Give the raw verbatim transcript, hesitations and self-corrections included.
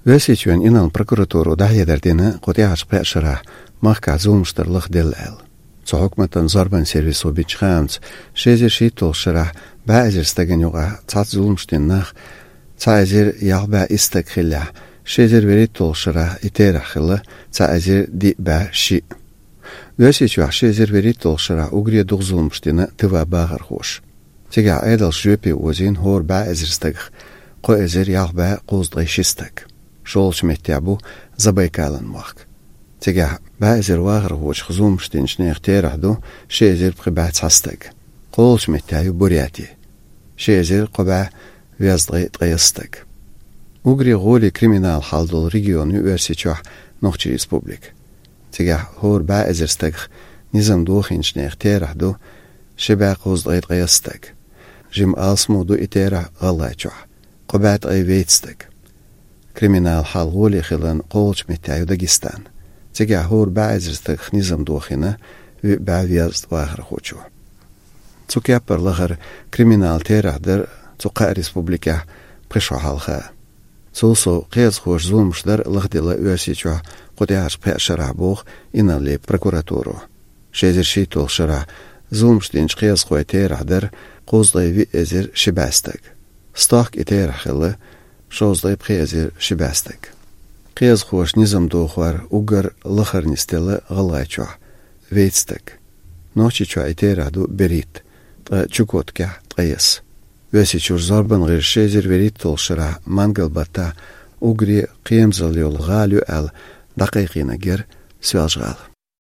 Оьрсийчоьнан инарла прокуратуро дӀахьедар дина кху тӀаьхьарчу пхеа шарахь махкахь зуламаш дар лахделла аьлла. Цу хьукматан зорбанан сервисо бинчу хаамца, ши эзар шийтталгӀачу шарахь бӀе эзар стагана юкъахь цхьацца зуламаш дина нах цхьа эзар ялх бӀе исс стаг хиллехь, ши эзар вуьрхӀитталгӀачу шарахь и терахь хилла цхьа эзар диъ бӀе шиъ. Оьрсийчохь ши эзар вуьрхӀитталгӀачу шарахь уггаре дукха зуламаш дина тыва бахархоша. Цигахь Ӏедалша жоьпе озийна хӀора бӀе эзар стагах кхо эзар ялх бӀе кхузткъе ши стаг. ШолгӀачу меттехь бу Забайкалан мохк. Цигахь бӀе эзар вахархочух зуламаш динчу нехан терахь ду ши эзар пхи бӀе цхьа стаг. КхоалгӀачу меттехь ю Буряти. Ши эзар кхо бӀе везткъе ткъайесна стаг. Уггаре гӀоле криминал хьал долу регион ю Оьрсийчохь Нохчийн Республика. Цигахь хӀора бӀе эзар стагах низам дохийначу нехан терахь ду ши бӀе кхузткъе ткъайесна стаг. Жимма алсамо ду и терахь ГӀалгӀайчохь, кхо бӀе ткъе вейтта стаг. Криминал хьал гӀоле хиларна кхоалгӀачу меттехь ю Дагестан. Цигахь хӀора бӀе эзар стагах низам дохийна вуьбӀе везткъа вахархочо. Цу кеппара лахара криминал терахь дара цу кхаа республикехь пхи шо хьалха. Цул сов, кхиазхоша зуламаш дар лахделла Оьрсийчохь кху тӀаьхьарчу пхеа шарахь, боху инарла прокуратуро. Ши эзар шийтталгӀачу шарахь зуламаш динчу кхиазхойн терахь дара кхузткъе виъ эзар ши бӀе стаг. Стохка и терахь хилла шовзткъе пхи эзар ши бӀе стаг. Кхиазхоша низам дохор уггар лахара нисделла ГӀалгӀайчохь, вейтта стаг. Нохчийчохь и терахь ду берхӀитта, ткъа Чукоткехь ткъайесна. Оьрсийчуьра зорбанан гӀирсаша ши эзар вуьрхӀитталгӀачу шарахь мангал-баттахь уггаре кхерамзалла йолу гӀала ю аьлла дӀакхайкхийнарг яра Соьлжа-ГӀала.